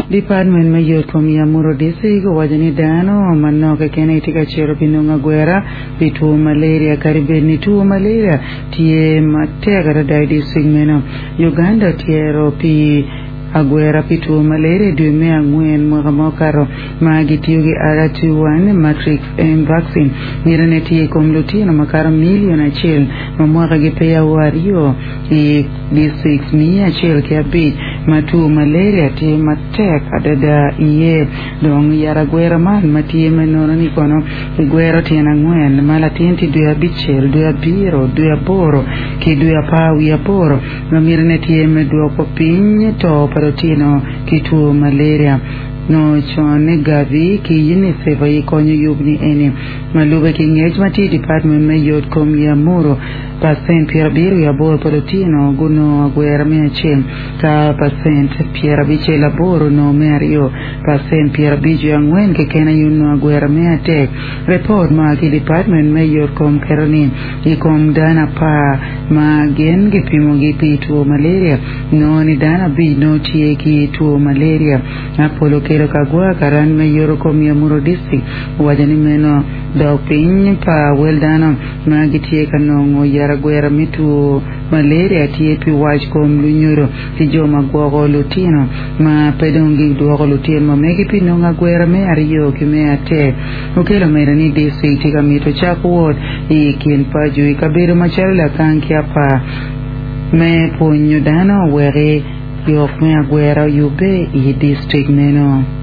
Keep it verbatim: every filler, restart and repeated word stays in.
Department me yot kom i Amuru District owaco ni dano manok keken tye ka cito pi nongo agwera pi two malaria kadi bed ni two malaria tye matek adada i district meno. Uganda otyero pi agwera pi two malaria i dwe me angwen mwaka ma okato ma gitiyo ki R two one Matrix M vaccine mitine tye i kom lutino makato milion acel ma mwakagi peya o aryo i district miya acel ki abic ma two malaria tye matek adada iye dong yat agwera man ma tye me nono ni kono kigwero tyen angwen ma latin tye dwe abicel dwe abiro dwe aboro ki dwe apar wiye aboro ma mitine tye me dwoko piny to pa lutino ki two malaria no con ni Gavi ki UNICEF aye konyo yub ni eni ma lube ki ngec ma tye i department me yot kom i Amuru pacent pyerabiro wiye aboro pa lutino gunongo agwera me acel ka pacent pyerabicel aboro onongo me aryo pacent pyerabic wiye angwen keken aye onongo agwera me adek report ma ki department me yot kom keto ni i kom dano apar ma gin gipimogi pi two malaria nongo ni dano abic nongo tye ki two malaria Apollo Okello Kagwa karan me yoto kom i Amuru District owaco ni meno dok piny pa wel dano ma gitye ka nongo yat agwera me two malaria tye pi wac kom lunyodo ki jo ma gwoko lutino ma pe dong gidwoko lutino ma megi pi nongo agwera me aryo ki me adek. Okello omedo ni district tye ka mito cako wot i kin paco i kabedo macalo Lakang ki Apar me pwonyo dano wek yok me agwera oyubbe i district meno.